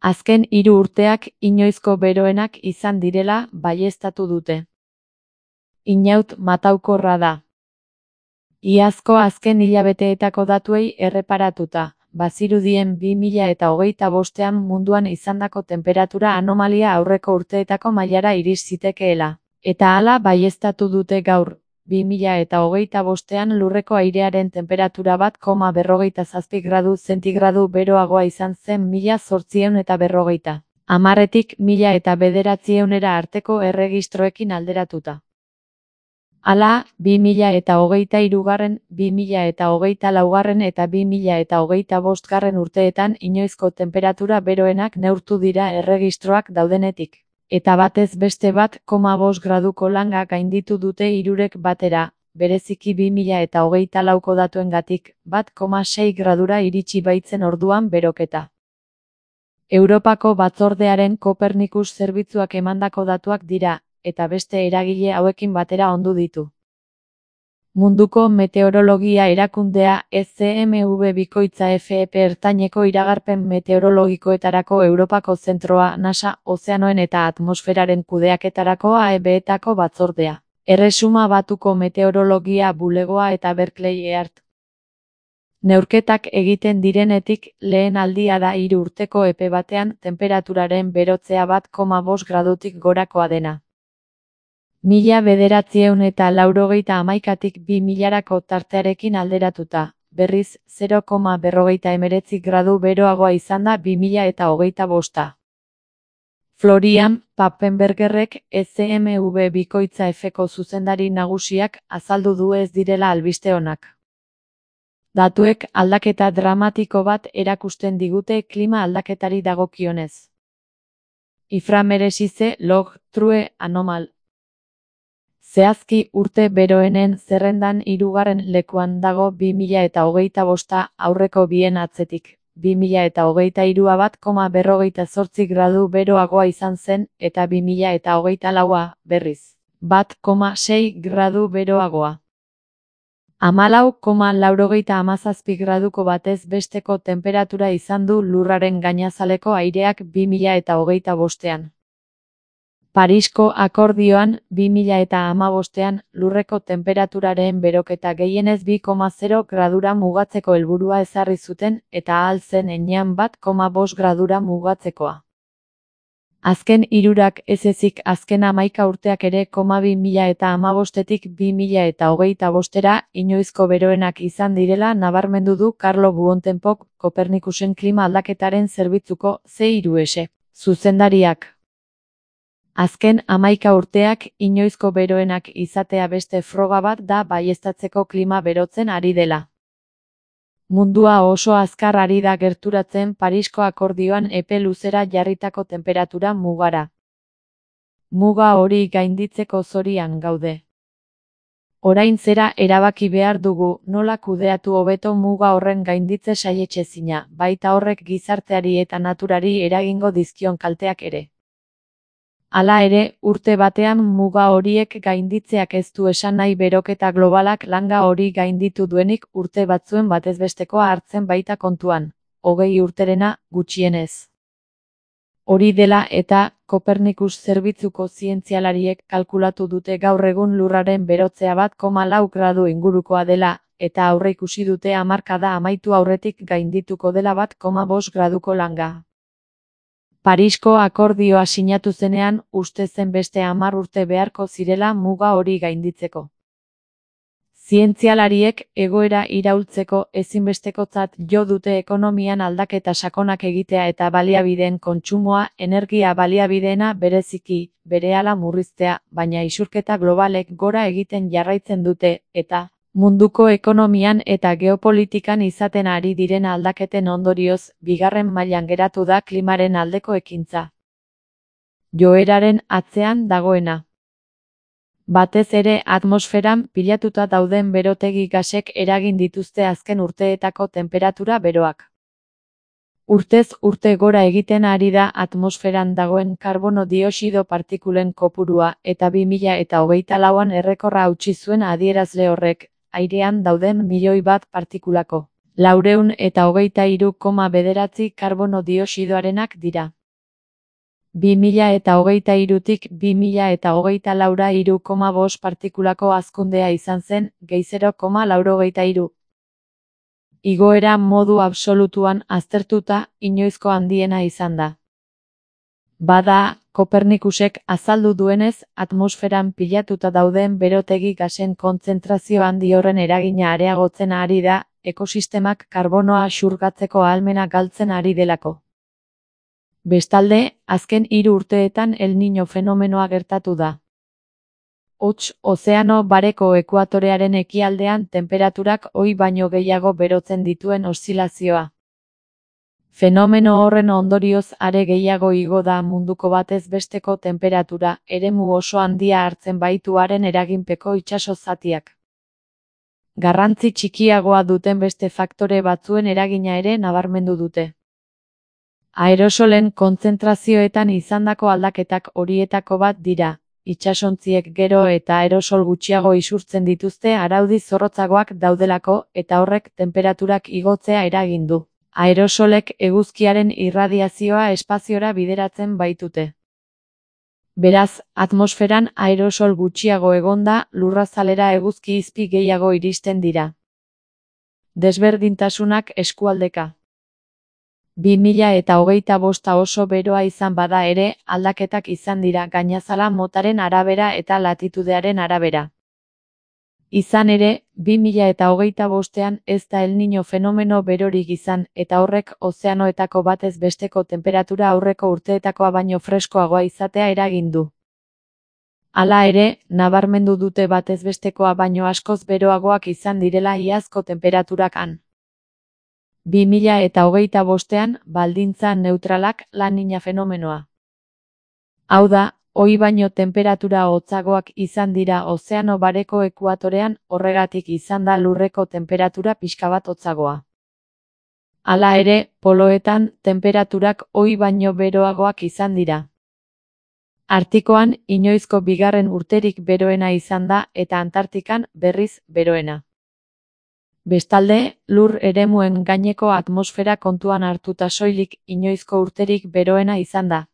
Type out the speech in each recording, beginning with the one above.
Azken 3 urteak inoizko beroenak izan direla baieztatu dute. Inaut mataukorra da. Iazko azken hilabeteetako datuei erreparatuta, bazirudien 2025ean munduan izandako tenperatura anomalia aurreko urteetako mailara iris zitekeela. Eta hala baieztatu dute gaur, 2025ean lurreko airearen tenperatura 1,47 gradu zentigradu beroagoa izan zen 1850. Hamarretik 1900era arteko erregistroekin alderatuta. Hala, 2023, 2024 eta 2025 urteetan inoizko tenperatura beroenak neurtu dira erregistroak daudenetik. Eta batez beste 1,5 graduko langa gainditu dute hirurek batera, bereziki 2024ko datuengatik, 1,6 gradura iritsi baitzen orduan beroketa. Europako Batzordearen Kopernikus zerbitzuak emandako datuak dira, eta beste eragile hauekin batera ondu ditu. Munduko Meteorologia Erakundea ECMV bikoitza FEP ertaineko iragarpen meteorologikoetarako Europako Zentroa NASA Ozeanoen eta Atmosferaren kudeaketarako AEB-etako batzordea. Erresuma Batuko Meteorologia Bulegoa eta Berkeley EART. Neurketak egiten direnetik lehen aldia da 3 urteko epe batean tenperaturaren berotzea 1,5 gradutik gorakoa dena. 1991tik 2000rako tartearekin alderatuta, berriz 0,49 gradu beroagoa izan da 2025. Florian Papenbergerrek ECMV bikoitza F-ko zuzendari nagusiak azaldu du ez direla albiste onak. Datuek aldaketa dramatiko bat erakusten digute klima aldaketari dagokionez. Inframeresize log true anomal. Zehazki urte beroenen zerrendan 3. lekuan dago 2025 aurreko bien atzetik. 2023a 1,48 gradu beroagoa izan zen eta 2024a, berriz, 1,6 gradu beroagoa. 14,97 graduko batez besteko tenperatura izan du lurraren gainazaleko aireak 2025ean. Parisko akordioan 2015ean lurreko temperaturaren beroketa gehienez 2,0 gradura mugatzeko helburua ezarri zuten eta ahal zen heinean 1,5 gradura mugatzekoa. Azken hirurak ez ezik azken 11 urteak ere 2015etik 2025era inoizko beroenak izan direla nabarmendu du Carlo Buontempook Kopernikusen klima aldaketaren zerbitzuko C3S zuzendariak. Azken 11 urteak inoizko beroenak izatea beste froga bat da baieztatzeko klima berotzen ari dela. Mundua oso azkar ari da gerturatzen Parisko akordioan epe luzera jarritako temperatura mugara. Muga hori gainditzeko zorian gaude. Orain zera erabaki behar dugu, nola kudeatu hobeto muga horren gainditze saietsezina, baita horrek gizarteari eta naturari eragingo dizkion kalteak ere. Hala ere, urte batean muga horiek gainditzeak ez du esan nahi beroketa globalak langa hori gainditu duenik urte batzuen batezbestekoa hartzen baita kontuan, 20 urterena gutxienez. Hori dela eta, Kopernikus zerbitzuko zientzialariek kalkulatu dute gaur egun lurraren berotzea 1,4 gradu ingurukoa dela, eta aurreikusi dute hamarkada amaitu aurretik gaindituko dela 1,5 graduko langa. Parisko akordioa sinatu zenean uste zen beste 10 urte beharko zirela muga hori gainditzeko. Zientzialariek egoera iraultzeko ezinbestekotzat jo dute ekonomian aldaketa sakonak egitea eta baliabideen kontsumoa energia baliabideena bereziki, berehala murriztea, baina isurketa globalek gora egiten jarraitzen dute, eta munduko ekonomian eta geopolitikan izaten ari diren aldaketen ondorioz, bigarren mailan geratu da klimaren aldeko ekintza. Joeraren atzean dagoena. Batez ere atmosferan pilatuta dauden berotegi gasek eragin dituzte azken urteetako tenperatura beroak. Urtez urte gora egiten ari da atmosferan dagoen karbono dioxido partikulen kopurua eta 2024an errekorra hautsi zuen adierazle horrek, airean dauden 1.000.000 partikulako 423,9 karbono dioxidoarenak dira. 2023tik 2024ra 3,5 partikulako hazkundea izan zen, gehi 0,83. Igoera modu absolutuan aztertuta, inoizko handiena izan da. Bada, Kopernikusek azaldu duenez, atmosferan pilatuta dauden berotegi gasen kontzentrazio handi horren eragina areagotzen ari da, ekosistemak karbonoa xurgatzeko ahalmena galtzen ari delako. Bestalde, azken 3 urteetan El Niño fenomenoa gertatu da. Hots, ozeano bareko ekuatorearen ekialdean tenperaturak ohi baino gehiago berotzen dituen oszilazioa. Fenomeno horren ondorioz are gehiago igo da munduko batez besteko tenperatura, eremu oso handia hartzen baitu haren eraginpeko itsaso zatiak. Garrantzi txikiagoa duten beste faktore batzuen eragina ere nabarmendu dute. Aerosolen kontzentrazioetan izandako aldaketak horietako bat dira. Itsasontziek gero eta aerosol gutxiago isurtzen dituzte araudi zorrotzagoak daudelako eta horrek tenperaturak igotzea eragin du. Aerosolek eguzkiaren irradiazioa espaziora bideratzen baitute. Beraz, atmosferan aerosol gutxiago egonda, lurrazalera eguzki izpi gehiago iristen dira. Desberdintasunak eskualdeka. 2025 oso beroa izan bada ere, aldaketak izan dira gainazala motaren arabera eta latitudearen arabera. Izan ere, 2025ean ez da El Niño fenomeno berorik izan, eta horrek ozeanoetako batez besteko tenperatura aurreko urteetakoa baino freskoagoa izatea eragin du. Hala ere, nabarmendu dute batez bestekoa baino askoz beroagoak izan direla iazko tenperaturak han. 2025ean, baldintza neutralak La Niña fenomenoa. Hau da, ohi baino tenperatura hotzagoak izan dira ozeano bareko ekuatorean, horregatik izan da lurreko tenperatura pixka bat hotzagoa. Hala ere, poloetan, tenperaturak ohi baino beroagoak izan dira. Artikoan, inoizko bigarren urterik beroena izan da eta Antartikan, berriz, beroena. Bestalde, lur eremuen gaineko atmosfera kontuan hartuta soilik inoizko urterik beroena izan da.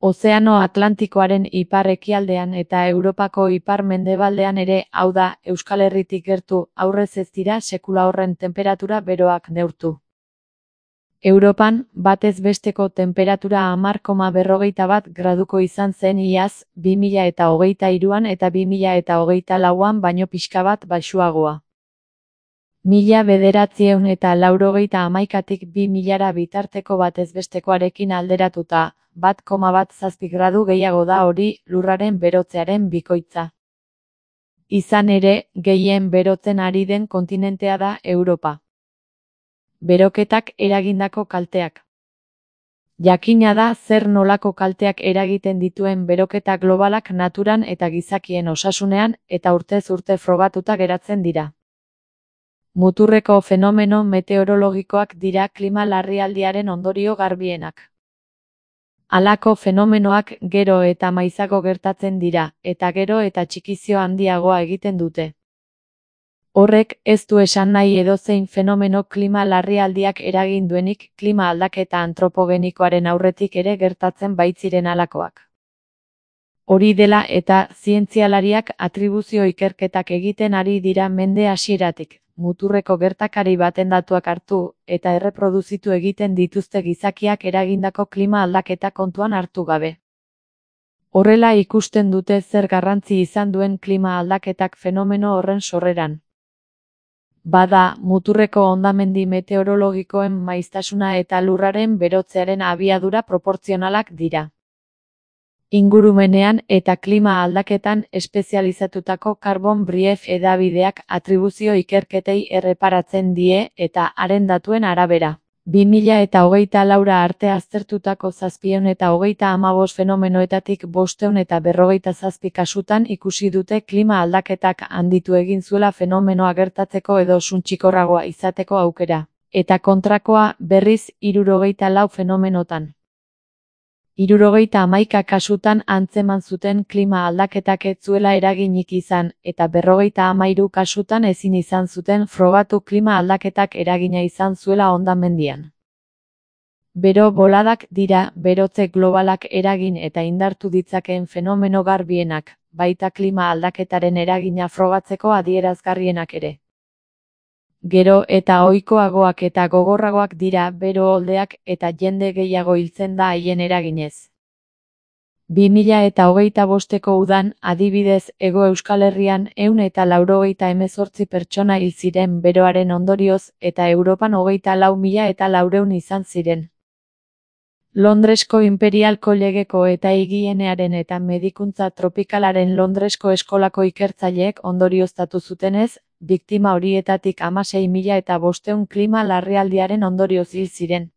Ozeano Atlantikoaren ipar-ekialdean eta Europako ipar-mendebaldean ere, hau da, Euskal Herritik gertu, aurrez ez dira sekula horren tenperatura beroak neurtu. Europan, batez besteko tenperatura 10,41 graduko izan zen iaz, 2023an eta 2024an baino pixka bat baxuagoa. 1991tik 2000ra bitarteko batez bestekoarekin alderatuta, 1,17 gradu gehiago da hori, lurraren berotzearen bikoitza. Izan ere, gehien berotzen ari den kontinentea da Europa. Beroketak eragindako kalteak. Jakina da zer nolako kalteak eragiten dituen beroketa globalak naturan eta gizakien osasunean eta urtez urte frogatuta geratzen dira. Muturreko fenomeno meteorologikoak dira klima larrialdiaren ondorio garbienak. Halako fenomenoak gero eta maizago gertatzen dira, eta gero eta txikizio handiagoa egiten dute. Horrek ez du esan nahi edozein fenomeno klima larrialdiak eragin duenik klima aldaketa antropogenikoaren aurretik ere gertatzen baitziren halakoak. Hori dela eta zientzialariak atribuzio ikerketak egiten ari dira mende hasieratik. Muturreko gertakari baten datuak hartu, eta erreproduzitu egiten dituzte gizakiak eragindako klima aldaketa kontuan hartu gabe. Horrela ikusten dute zer garrantzi izan duen klima aldaketak fenomeno horren sorreran. Bada, muturreko hondamendi meteorologikoen maiztasuna eta lurraren berotzearen abiadura proportzionalak dira. Ingurumenean eta klima aldaketan espezializatutako Carbon Brief hedabideak atribuzio ikerketei erreparatzen die eta haren datuen arabera. 2024 arte aztertutako 735 fenomenoetatik 547 kasutan ikusi dute klima aldaketak handitu egin zuela fenomenoa gertatzeko edo suntsikorragoa izateko aukera, eta kontrakoa berriz 64 fenomenotan. 71 kasutan antzeman zuten klima aldaketak ez zuela eraginik izan, eta 53 kasutan ezin izan zuten frogatu klima aldaketak eragina izan zuela hondamendian. Bero boladak dira berotze globalak eragin eta indartu ditzakeen fenomeno garbienak, baita klima aldaketaren eragina frogatzeko adierazgarrienak ere. Gero eta ohikoagoak eta gogorragoak dira bero oldeak eta jende gehiago hiltzen da haien eraginez. 2025ko udan, adibidez, Hego Euskal Herrian 198 pertsona hil ziren beroaren ondorioz eta Europan 24.400 izan ziren. Londresko Imperial Collegeko eta Higienearen eta Medikuntza Tropikalaren Londresko eskolako ikertzaileek ondorioztatu zutenez, biktima horietatik 16.500 klima larrialdiaren ondorioz hil ziren.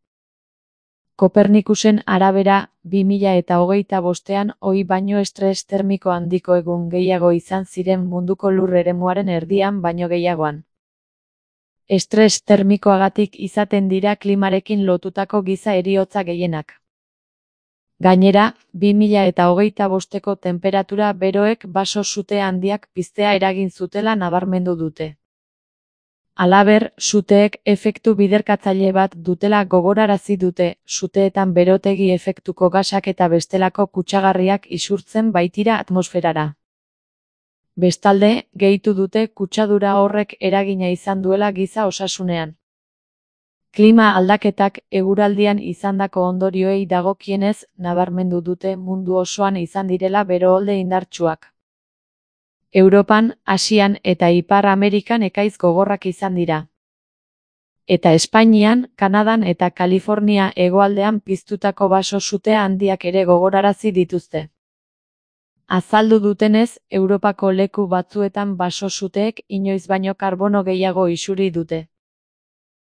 Kopernikusen arabera, 2025an ohi baino estres termiko handiko egun gehiago izan ziren munduko lur eremuaren erdian baino gehiagoan. Estres termikoagatik izaten dira klimarekin lotutako giza heriotza gehienak. Gainera, 2025ko tenperatura beroek baso sute handiak piztea eragin zutela nabarmendu dute. Halaber, suteek efektu biderkatzaile bat dutela gogorarazi dute, suteetan berotegi efektuko gasak eta bestelako kutsagarriak isurtzen baitira atmosferara. Bestalde, gehitu dute kutsadura horrek eragina izan duela giza osasunean. Klima aldaketak eguraldian izandako ondorioei dagokienez, nabarmendu dute mundu osoan izan direla beroolde indartsuak. Europan, Asian eta Ipar Amerikan ekaiz gogorrak izan dira. Eta Espainian, Kanadan eta Kalifornia hegoaldean piztutako baso sute handiak ere gogorarazi dituzte. Azaldu dutenez, Europako leku batzuetan baso suteek inoiz baino karbono gehiago isuri dute.